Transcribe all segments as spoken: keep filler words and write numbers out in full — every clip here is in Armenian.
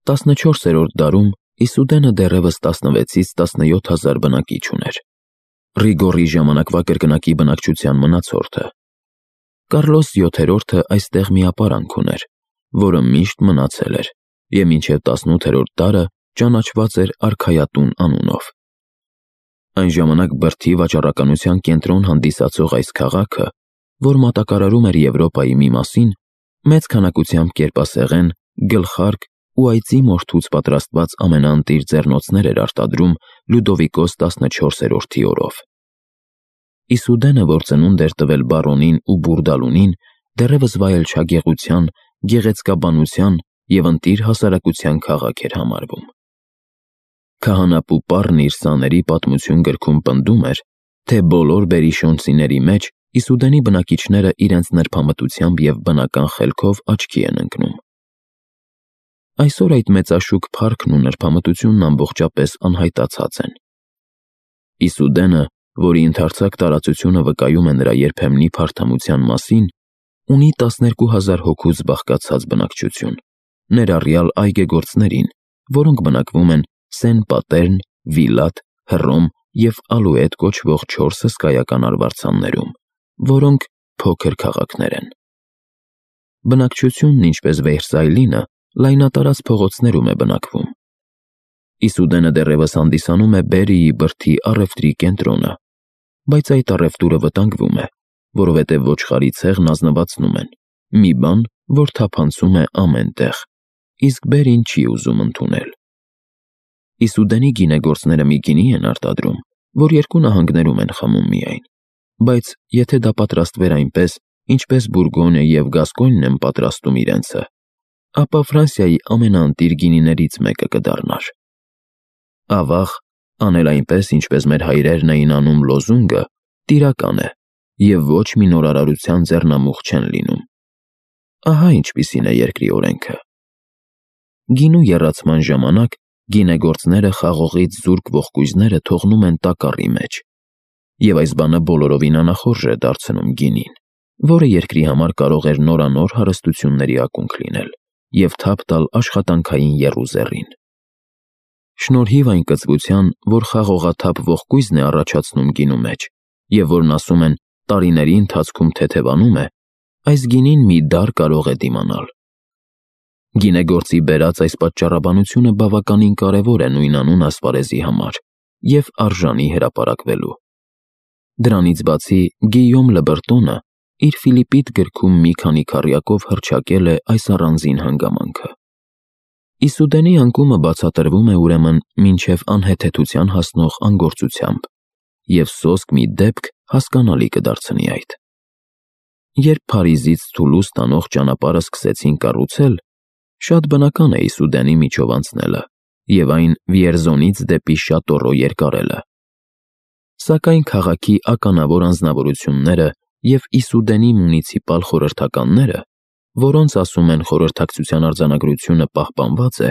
տասնչորսերորդ դարում Իսուդենը դեռևս տասնվեցից տասնյոթ հազար բնակիչ ուներ։ Ռիգորի ժամանակվա կրկնակի բնակչության մնացորդը։ Կարլոս յոթերորդը այստեղ մի ապարանք ուներ, որը միշտ մնացել էր, և մինչև տասնութերորդ դարը ճանաչված էր արքայատուն անունով։ Այն ժամանակ բրդի վաճառականության կենտրոն հանդիսացող այս քաղաքը, որ մատակարարում էր Եվրոպայի մի մասին, մեծ քանակությամբ կերպասեղեն, գլխարկ ու այծի մորթուց պատրաստված ամենաընտիր ձեռնոցներ էր արտադրում Լյուդովիկոս տասնչորսերորդի օրով։ Իսուդենը, որ ծնունդ էր տվել բարոնին ու բուրդալունին, դեռևս վայելչա գեղության, գեղեցկաբանության և ընտիր հասարակության քաղաք էր համարվում։ Քահանապուպարն իր սաների պատմություն գրքում պնդում էր, թե բոլոր բերիշոնցիների մեջ Իսուդենի բնակիչները իրենց նրբամտությամբ և բնական խելքով աչքի են ընկնում։ Այսօր այդ մեծաշուք փառքն ու նրբամտությունն ամբողջապես անհայտացած են։ Իսուդենը, որի ընդարձակ տարածությունը վկայում է նրա երբեմնի փարթամության մասին, ունի տասներկու հազար հոգուց բաղկացած բնակչություն, ներառյալ այգեգործներին, որոնք բնակվում են Սեն Պատերն, Վիլատ, Հռոմ և Ալուետ կոչվող չորս հսկայական արվարձաններում, որոնք փոքր քաղաքներ են։ Բնակչությունն, ինչպես Վերսայլինը, լայնատարած փողոցներում է բնակվում։ Իսուդենը դեռևս հանդիսանում է Բերիի բրդի առևտրի կենտրոնը, բայց այդ առևտուրը վտանգվում է, որովհետև ոչխարի ցեղն ազնվացնում են, մի բան, որ թափանցում է ամեն տեղ, իսկ Բերին չի ուզում ընդունել։ Իսուդենի գինեգործները մի գինի են արտադրում, որ երկու նահանգներում են խմում միայն, բայց եթե դա պատրաստվեր այնպես, ինչպես Բուրգոնը և Գասկոնն են պատրաստում իրենցը, ապա Ֆրանսիայի ամենաընտիր գինիներից մեկը կդառնար։ Ավաղ, անել այնպես, ինչպես մեր հայրերն էին անում լոզունգը, տիրական է, և ոչ մի նորարարության ձեռնամուխ չեն լինում։ Ահա ինչպիսին է երկրի օրենքը։ Գինու եռացման ժամանակ գինեգործները խաղողից զուրկ ողկույզները թողնում են տակառի մեջ, և այս բանը բոլորովին անախորժ է դարձնում գինին, որը երկրի համար կարող էր նորանոր հարստությունների ակունք լինել և թափ տալ աշխատանքային եռուզեռին։ Շնորհիվ այն կծվության, որ խաղողաթափ ողկույզն է առաջացնում գինու մեջ, և որն ասում են տարիների ընթացքում թեթևանում է, այս գինին մի դար կարող է դիմանալ։ Գինեգործի բերած այս պատճառաբանությունը բավականին կարևոր է նույնանուն ասպարեզի համար և արժանի հրապարակվելու։ Դրանից բացի Գիյոմ Լեբրտոնը իր Ֆիլիպիդ գրքում մի քանի քառյակով հռչակել է այս առանձին հանգամանքը։ Իսուդենի անկումը բացատրվում է ուրեմն մինչև անհեթեթության հասնող անգործությամբ, և սոսկ մի դեպք հասկանալի կդարձնի այդ։ Երբ Փարիզից Թուլուզ տանող ճանապարհը սկսեցին կառուցել, շատ բնական է Իսուդենի միջով անցնելը և այն Վիերզոնից դեպի Շատորո երկարելը։ Սակայն քաղաքի ականավոր անձնավորությունները և Իսուդենի մունիցիպալ խորհրդականները, որոնց ասում են խորհրդակցության արձանագրությունը պահպանված է,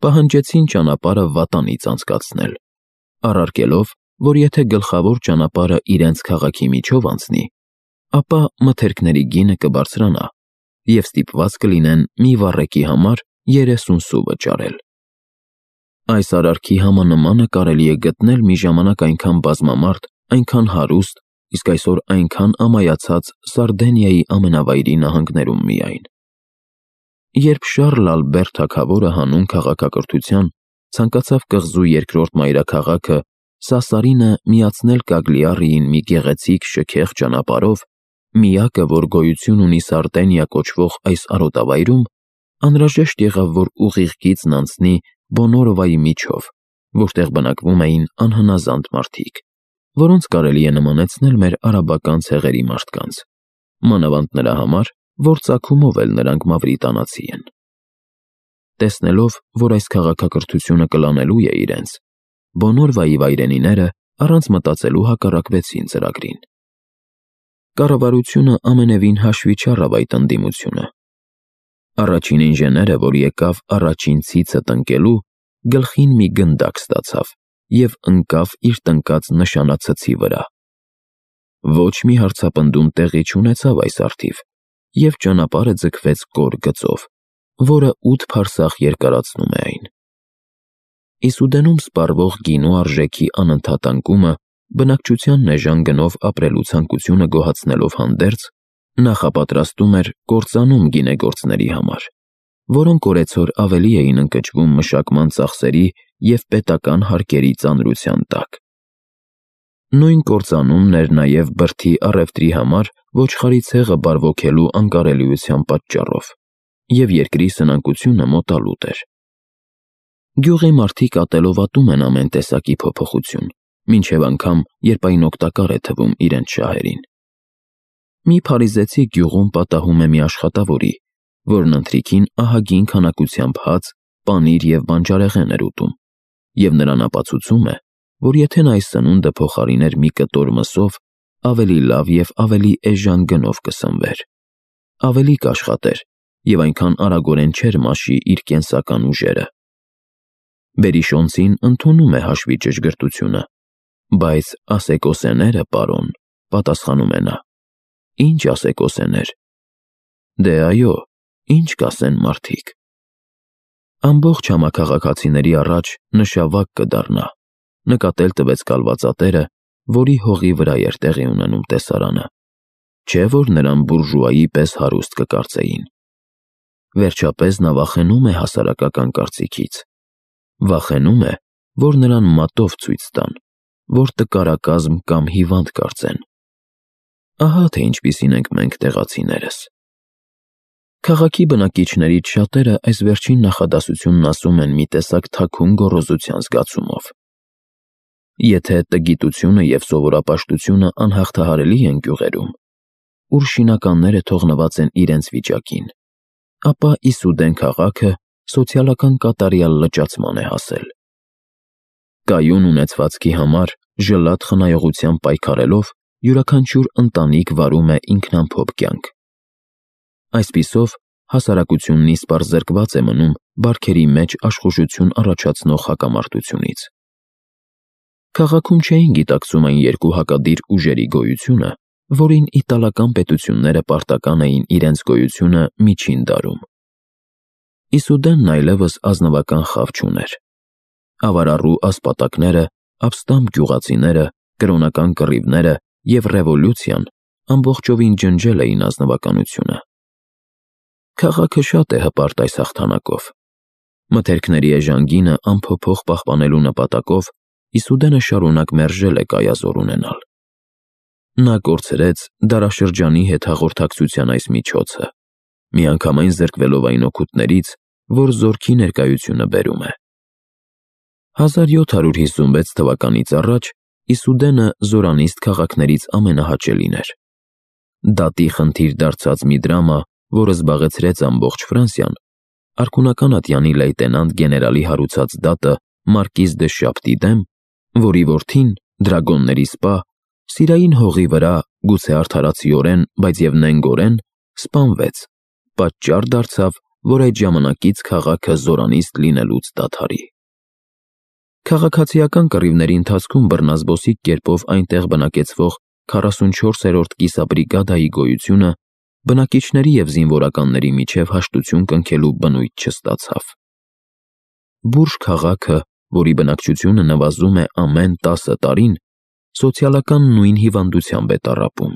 պահանջեցին ճանապարհը վատանից անցկացնել, առարկելով, որ եթե գլխավոր ճանապարհը իրենց քաղաքի միջով անցնի, ապա մթերքների գինը կբարձրանա, և ստիպված կլինեն մի վառեկի համար երեսուն սու վճարել։ Այս արարքի համանմանը կարելի է գտնել մի ժամանակ այնքան բազմամարդ, այնքան հարուստ, իսկ այսօր այնքան ամայացած Սարդենիայի ամենավայրի նահանգներում միայն։ Երբ Շառլ Ալբեր թագավորը հանուն քաղաքակրթության ցանկացավ կղզու երկրորդ մայրաքաղաքը Սասարինը միացնել Կագլիարիին մի գեղեցիկ շքեղ ճանապարհով, միակը, որ գոյություն ունի Սարդենիա կոչվող այս արոտավայրում, անհրաժեշտ եղավ, որ ուղիղ գիծն անցնի Բոնորովայի միջով, որտեղ բնակվում էին անհնազանդ մարդիկ, որոնց կարելի է նմանեցնել մեր արաբական ցեղերի մարդկանց, մանավանդ նրա համար, որ ծագումով էլ նրանք մավրիտանացի են։ Տեսնելով, որ այս քաղաքակրթությունը կլանելու է իրենց, Բոնորվայի վայրենիները առանց մտածելու հակառակվեցին ծրագրին։ Կառավարությունը ամենևին հաշվի չառավ այդ ընդդիմությունը։ Առաջին ինժեները, որ եկավ առաջին ցիցը տնկելու, գլխին մի գնդակ ստացավ և ընկավ իր տնկած նշանացցի վրա։ Ոչ մի հարցապնդում տեղի չունեցավ այս առթիվ, և ճանապարհը ձգվեց կոր գծով, որը ութ փարսախ երկարացնում է այն։ Իսուդենում սպառվող գինու արժեքի անընդհատ անկումը բնակչության էժան գնով ապրելու ցանկությունը գոհացնելով հանդերձ նախապատրաստում էր կործանում գինեգործների համար, որոնք օրեցօր ավելի էին ընկճվում մշակման ծախսերի և պետական հարկերի ծանրության տակ։ Նույն կործանումն էր նաև բրդի առևտրի համար ոչխարի ցեղը բարվոքելու անկարելիության պատճառով, և երկրի սնանկությունը մոտալուտ էր։ Գյուղի մարդիկ ատելով ատում են ամեն տեսակի փոփոխություն, մինչև անգամ, երբ այն օգտակար է թվում իրենց շահերին։ Մի փարիզեցի գյուղում պատահում է մի աշխատավորի, որն ընթրիքին ահագին քանակությամբ հաց, պանիր և բանջարեղեն էր ուտում, և նրան ապացուցում է, որ եթե նա այս սնունդը փոխարիներ մի կտոր մսով, ավելի լավ և ավելի էժան գնով կսնվեր, ավելի կաշխատեր և այնքան արագորեն չէր մաշի իր կենսական ուժերը։ Բերիշոնցին ընդունում է հաշվի ճշգրտությունը, բայց ասեկոսեները, պարոն, պատասխանում է նա, ինչ ասեկոսեներ, դե այո, ինչ կասեն մարդիկ։ Ամբողջ համաքաղաքացիների առաջ նշավակ կդառնա, նկատել տվեց կալվածատերը, որի հողի վրա էր տեղի ունենում տեսարանը, չէ՞ որ նրան բուրժուայի պես հարուստ կկարծեին։ Վերջապես նա վախենում է հասարակական կարծիքից, վախենում է, որ նրան մատով ցույց տան, որ տկարակազմ կամ հիվանդ կարծեն։ Ահա թե ինչպիսին ենք մենք տեղացիներս։ Քաղաքի բնակիչներից շատերը այս վերջին նախադասությունն ասում են մի տեսակ թաքուն գոռոզության զգացումով։ Եթե տգիտությունը և սովորապաշտությունը անհաղթահարելի են գյուղերում, ուր շինականները թողնված են իրենց վիճակին, ապա Իսուդեն քաղաքը սոցիալական կատարյալ լճացման է հասել։ Կայուն ունեցվածքի համար ժլատ խնայողությամբ պայքարելով յուրաքանչյուր ընտանիք վարում է ինքնամփոփ կյանք։ Այսպիսով, հասարակությունն իսպառ զրկված է մնում բարքերի մեջ աշխուժություն առաջացնող հակամարտությունից։ Քաղաքում չէին գիտակցում այն երկու հակադիր ուժերի գոյությունը, որին իտալական պետությունները պարտական էին իրենց գոյությունը միջին դարում։ Իսուդենն այլևս ազնվական խավ չուներ։ Ավարառու ասպատակները, ապստամբ գյուղացիները, կրոնական կռիվները և ռևոլյուցիան ամբողջովին ջնջել էին ազնվականությունը։ Քաղաքը շատ է հպարտ այս հաղթանակով։ Մթերքների էժան գինը անփոփոխ պահպանելու նպատակով Իսուդենը շարունակ մերժել է կայազոր ունենալ։ Նա կորցրեց դարաշրջանի հետ հաղորդակցության այս միջոցը, միանգամայն զրկվելով այն օգուտներից, որ զորքի ներկայությունը բերում է։ հազար յոթ հարյուր հիսունվեց թվականից առաջ Իսուդենը զորանիստ քաղաքներից ամենահաճելին էր։ Դատի խնդիր դարձած մի դրամա, որը զբաղեցրեց ամբողջ Ֆրանսիան, արքունական ատյանի լեյտենանտ գեներալի հարուցած դատը Մարկիզ դը Շապտի դեմ, որի որդին, դրագոնների սպա, սիրային հողի վրա, գուցե արդարացիորեն, բայց և նենգորեն, սպանվեց, պատճառ դարձավ, որ այդ ժամանակից քաղաքը զորանիստ լինելուց դադարի։ Քաղաքացիական կռիվների ընթացքում բռնազբոսիկ կերպով այնտեղ բնակեցվող քառասունչորսերորդ կիսաբրիգադայի գոյությունը բնակիչների և զինվորականների միջև հաշտություն կնքելու բնույթ չստացավ։ Բուրժ քաղաքը, որի բնակչությունը նվազում է ամեն տասը տարին, սոցիալական նույն հիվանդությամբ է տառապում։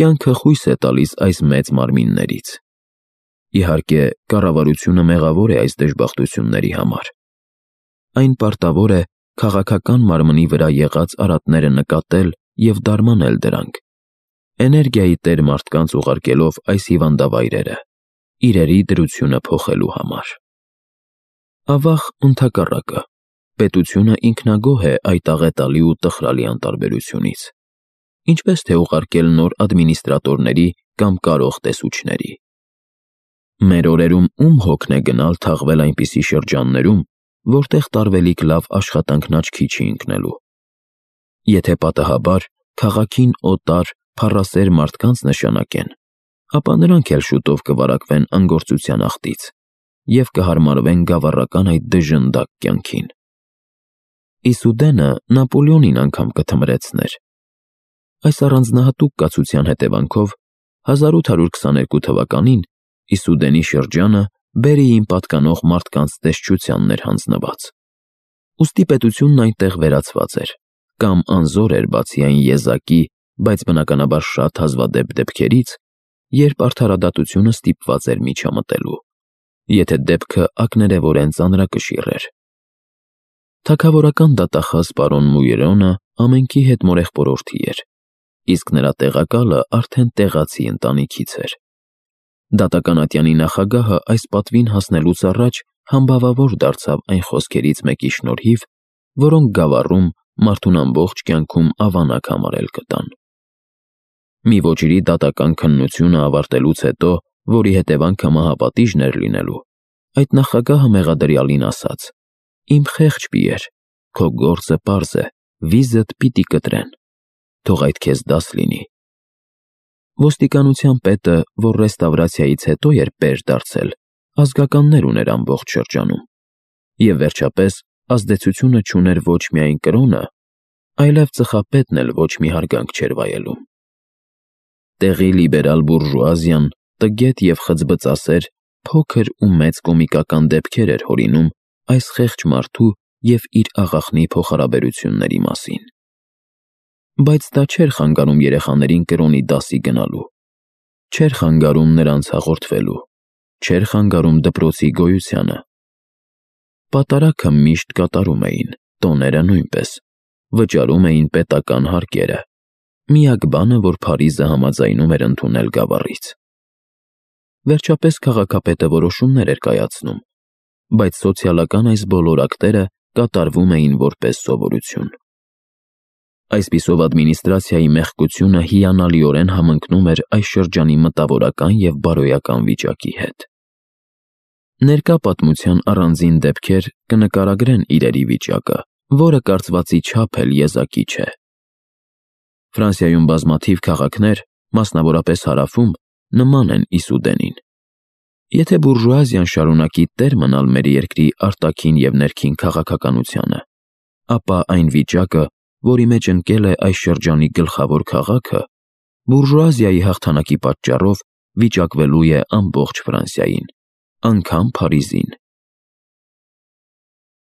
Կյանքը խույս է տալիս այս մեծ մարմիններից։ Իհարկե, կառավարությունը մեղավոր է այս դժբախտությունների համար։ Այն պարտավոր է քաղաքական մարմնի վրա եղած արատները նկատել և դարմանել դրանք, էներգիայի տեր մարդկանց ուղարկելով այս հիվանդավայրերը, իրերի դրությունը փոխելու համար։ Ավաղ, ընդհակառակը, պետությունը ինքնագոհ է այդ աղետալի ու տխրալի անտարբերությունից, ինչպես թե ուղարկել նոր ադմինիստրատորների կամ կարող տեսուչների։ Մեր օրերում ում հոգն է գնալ թաղվել այնպիսի շրջաններում, որտեղ տարվելիք լավ աշխատանքն աչքի չի ընկնելու։ Եթե պատահաբար քաղաքին օտար, փառասեր մարդկանց նշանակեն, ապա նրանք էլ շուտով կվարակվեն անգործության աղտից և կհարմարվեն գավառական այդ դժնդակ կյանքին։ Իսուդենը Նապոլեոնին անգամ կթմրեցներ։ Այս առանձնահատուկ կացության հետևանքով հազար ութ հարյուր քսաներկու թվականին Իսուդենի շրջանը Բերիին պատկանող մարդկանց տեսչությանն էր հանձնված։ Ուստի պետությունն այնտեղ վերացված էր, կամ անզոր էր բացի այն եզակի, բայց բնականաբար շատ հազվադեպ դեպքերից, երբ արդարադատությունը ստիպված էր միջամտելու, եթե դեպքը ակներևորեն ծանրակշիռ էր։ Թագավորական դատախազ պարոն Մույրոնը ամենքի հետ մորեղբորորդի էր, իսկ նրա տեղակալը արդեն տեղացի ընտանիքից էր։ Դատական ատյանի նախագահը այս պատվին հասնելուց առաջ համբավավոր դարձավ այն խոսքերից մեկի շնորհիվ, որոնք Գավառում մարդուն ամբողջ կյանքում ավանակ համարել կտան։ Մի ոճիրի դատական քննությունը ավարտելուց հետո, որի հետևանքը մահապատիժն էր լինելու, այդ նախագահը մեղադրյալին ասաց. «Իմ խեղճ պիեր, քո գործը պարզ է, վիզդ պիտի կտրեն, թող այդ քեզ դաս լինի»։ Ոստիկանության պետը, որ ռեստավրացիայից հետո էր պեր դարձել, ազգականներ ուներ ամբողջ շրջանում, և վերջապես ազդեցությունը չուներ ոչ միայն կրոնը, այլև ծխապետն էլ ոչ մի հարգանք չէր վայելում։ Տեղի լիբերալ բուրժուազիան տգետ և խծբծասեր, փոքր ու մեծ կոմիկական դեպքեր էր հորինում այս խեղճ մարդու և իր աղախնի փոխհարաբերությունների մասին։ Բայց դա չէր խանգարում երեխաներին կրոնի դասի գնալու, չէր խանգարում նրանց հաղորդվելու, չէր խանգարում դպրոցի գոյությանը։ Պատարագը միշտ կատարում էին, տոները նույնպես, վճարում էին պետական հարկերը, միակ բանը, որ Փարիզը համաձայնում էր ընդունել Գավառից։ Վերջապես քաղաքապետը որոշումներ էր կայացնում, բայց սոցիալական այս բոլոր ակտերը կատարվում էին որպես սովորություն։ Այսպիսով ադմինիստրացիայի մեղքությունը հիանալիորեն համընկնում էր այս շրջանի մտավորական և բարոյական վիճակի հետ։ Ներկա պատմության առանձին դեպքեր կնկարագրեն իրերի վիճակը, որը կարծվածի չափ էլ եզակի չէ։ Ֆրանսիայում բազմաթիվ քաղաքներ, մասնավորապես հարավում, նման են Իսուդենին։ Եթե բուրժուազիան շարունակի տեր մնալ մեր երկրի արտաքին և ներքին քաղաքականությանը, ապա այն վիճակը, որի մեջ ընկել է այս շրջանի գլխավոր քաղաքը, բուրժուազիայի հաղթանակի պատճառով վիճակվելու է ամբողջ Ֆրանսիային, անգամ Փարիզին։